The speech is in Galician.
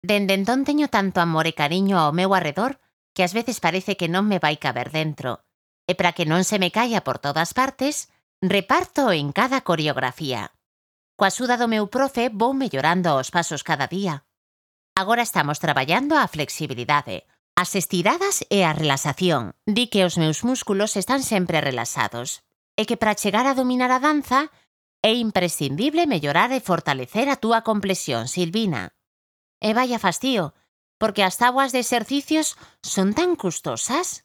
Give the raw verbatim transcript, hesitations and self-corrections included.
Dende entón teño tanto amor e cariño ao meu arredor que ás veces parece que non me vai caber dentro. E para que non se me caia por todas partes, reparto en cada coreografía. Coa axuda do meu profe vou mellorando os pasos cada día. Agora estamos traballando a flexibilidade, as estiradas e a relaxación. Di que os meus músculos están sempre relaxados e que para chegar a dominar a danza é imprescindible mellorar e fortalecer a túa complexión, Silvina. E vaya fastío, porque as táboas de exercicios son tan custosas.